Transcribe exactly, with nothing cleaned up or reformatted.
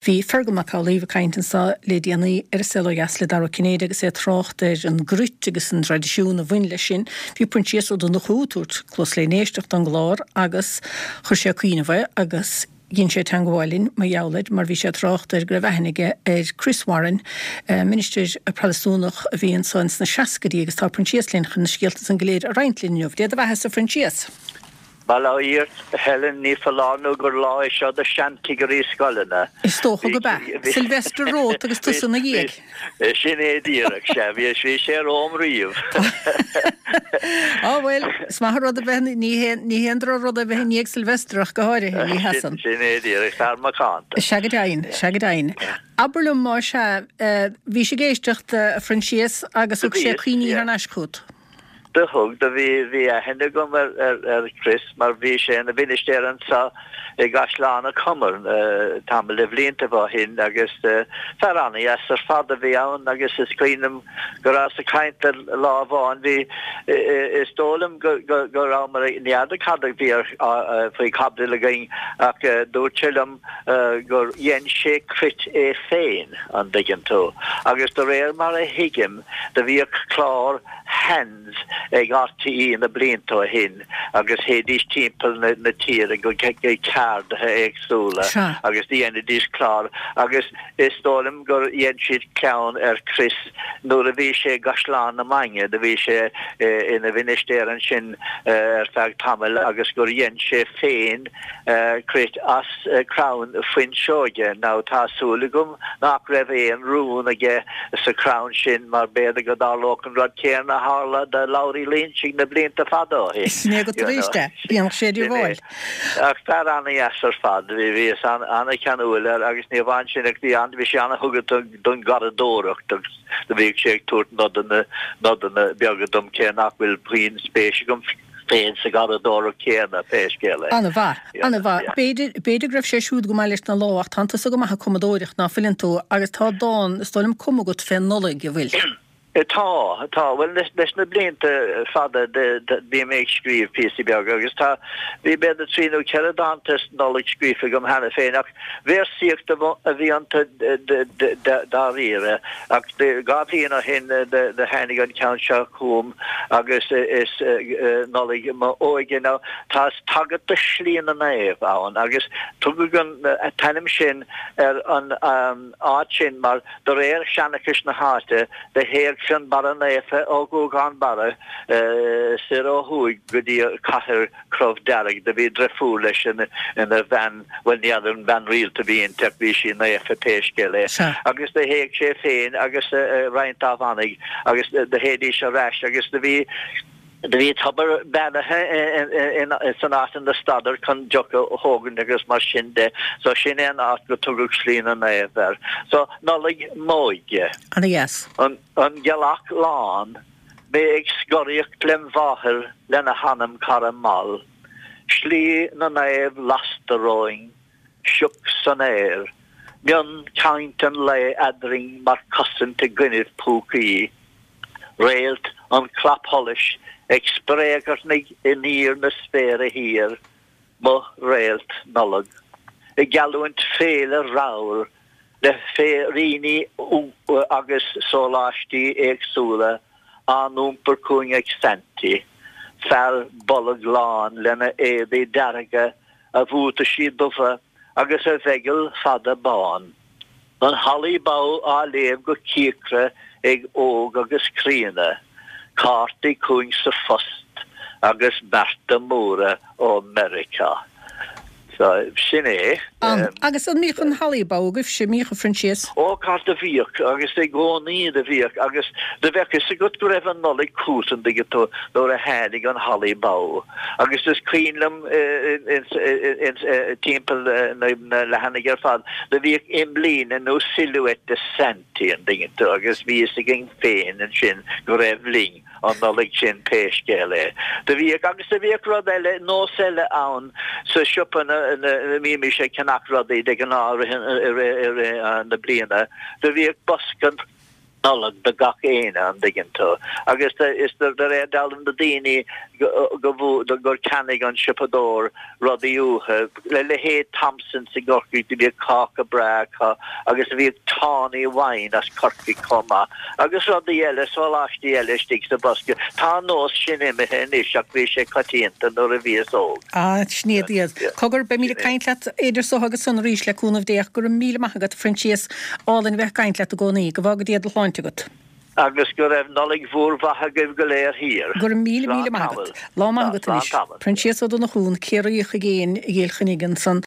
Bhí Fergal Mac Amhlaoibh ag caint anso le déanaí ar An Saol Ó Dheas le Dara Ó Cinnéide agus é ag trácht ar an gcruit agus an traidisiún a bhain leis sin. Bhí Proinsias Ó Donnchú ag tabhairt cluas len éisteacht don gclár agus chuir sé cuimhneamh air agus dhein sé teangmháil linn mar gheall air mar bhí sé ag trácht air go raibh aithne aige ar Chris Warren, ministir Protastúnach a bhí anso ins na seascaidí agus tá Proinsias linn chun na scéalta san go léir a roinnt linn inniu. Dé do bheatha-sa a Phroinsias. Bail ó Dhia ort, a Helen, ní foláir nó gur lá é seo do sheanchigirí scoileanna. Is dócha gurb ea. Sylvester romhat agus tusa ina dhiaidh. Sin é díreach, sea. Bhí bhí sé romham riamh. Á bhuel, is maith an rud a bheith, ní ní haon droch-rud a bheith i ndiaidh Sylvester ach go háirithe, ní hea san. Sin é díreach, fear macánta. Sea go deimhin, sea go deimhin. Abair liom más ea, bhís ag éisteacht, a Phroinsias, agus thug sé cuimhní thar n-ais chugat. Do thug, do bhí, bhí aithne agam ar, ar, ar Chris mar bhí sé ina mhinistéir anso i gCaisleán an Chomair tamall de bhliantaibh ó shin agus fear ana-dheas ar fad a bhí ann agus is cuimhin liom go rabhas ag caint leis lá amháin, bhí, is dóigh liom go, go, go rabhamar ag, ní fheadar cad a bhí ar, faoi chaibidil againn ach dúirt sé liom gur dhein sé cruit é féin, an dtuigeann tú, agus de réir mar a thuigim do bhíodh clár Hands ag RTÉ na blianta ó shin agus théidís timpeall na tíre go ceardaithe éagsúla agus dhéanaidís clár agus is dóigh liom gur dhein siad ceann ar Chris nuair a bhí sé i gCaisleán na Mainge, do bhí sé ina mhinistéir ansin ar feadh tamaill agus gur dhein sé féin cruit as crann fuinseoige. Now tá súil agam nach raibh aon rún aige sa chrann sin mar b'fhéidir go dtarlódh an rud céanna a tharla do Labhraí Loinsigh na blianta fada ó shin. Sin é go tar éis de. Bíonn sé de dhíobháil. Ach fear ana-dheas ar fad. Bhí bhíos ana-cheanúil air agus ní amháin sin ach bhí bhí sé ana-thugtha don gharradóireacht agus do bhíodh sé ag tabhairt nodanna nodanna beaga dom cé nach bhfuil puinn spéis agam féin sa gharradóireacht chéanna, pé scéal é. Ana-mhaith, ana-mhaith. B'fhéidir, b'fhéidir go raibh sé siúd go maith leis na lámha ach tánn tusa go maith ag cumadóireacht, ná fuileann tú, agus tá dán, is dóigh liom, cumtha agat fén Nollaig, an bhfuil? Tá, tá. Bhuel, leis na blianta fada bhí mé ag scríobh píosaí beaga agus tá, bhí b'fhéidir trí nó ceithre dánta Nollag scríofa agam cheana féin ach véarsaíocht a bhí iontu dáiríre. Ach dhá bhliain ó shin do tháinig an ceann seo chugam agus is Nollaig m'óige. Now tá tagairt do Shlí na Naomh ann agus tugadh an t-ainm sin ar an áit sin mar de réir seanchais na háite do théadh Fionnbarra Naofa ó Ghuagán Barra soir ó thuaidh go dtí cathair Crobh Dearg. Do bhí driofúr leis ina bhean, bhuel ní fheadar an bean rialta a bhí inti ach bhí sí naofa pé scéal é. Agus do théadh sé féin agus roinnt dá mhanaigh agus do théidís ar ais agus do bhí Do bhí tobar beannaithe san áit ina stadadar chun deoch a thógaint agus mar sin de. So sin é an áit go tugadh Slí na Naomh air. So Nollaig m'óige. Ana dheas. An ghealach lán, mé ag scoraíocht lem mháthair lena hanam cara mall. Slí na Naomh lasta romhainn, sioc san aer. Mionchaint an lae eadrainn mar chosaint i gcoinnibh púcaí. Réalt an chlapsholais ag spréagarnaigh in íor na spéire thiar, mo réalt Nollag, ag geallúint féile ramhar le féiríní agus sóláistí éagsúla á n-iompar chugainn ag Saintí, fear bolg lán lena éadaí dearga, a bhuataisí dubha agus a mheigeall fada bán. An Holly Bough á léamh go cíocra ag óg agus críonna, cártaí chugainn sa phost agus bearta móra ó Meiriceá. So, sin é. An, agus an mbíodh an Holly Bough agaibhse, an mbíodh, a Phroinsias? Ó, cara, do bhíodh, agus i gcónaí do bhíodh, agus do bheadh fhios agat go raibh an Nollaig chugat, an dtuigeann tú, nuair a tháinig an Holly Bough. Agus is cuimhin liom timpeall na leathanaigh ar fad, do bhíodh imlíne nó silhouette de Saintí, an dtuigeann tú, agus bhí fhios againn féin ansin go raibh linn an Nollaig sin pé scéal é. Do bhíodh, agus do bhíodh rud eile, nós eile ann sa siopa ina mbímis ag ceannach rudaí de ghnáth i rith na bliana, do bhíodh bosca, Nollag do gach éinne, an dtuigeann tú. Agus is de réir dealraimh na daoine go gur cheannaigh an siopadóir rudaí uathu, le leithéid Thompsons i gCorcaigh, do bhíodh cáca breá acu agus bhíodh tawny wine as Corcaigh chomh maith agus rudaí eile, sóláistí eile istigh sa bhosca. Tá an nós sin imithe anois ach bhí sé coitianta nuair a bhíos óg. Ah, sin iad iad. Cogar, beimid ag caint leat idir so agus san arís le cúnamh Dé ach go raibh míle maith agat, a Phroinsias. Álainn a bheith ag caint leat i gcónaí. Go bhfága Dia do shláinte agat. Agus go raibh Nollaig mhór mhaith agaibh go léir thiar. Go raibh míle míle maith agat. Lá maith agat anois. Proinsias Ó Donnchú, Ciarraíoch i gcéin i gCill Chainnigh ansan.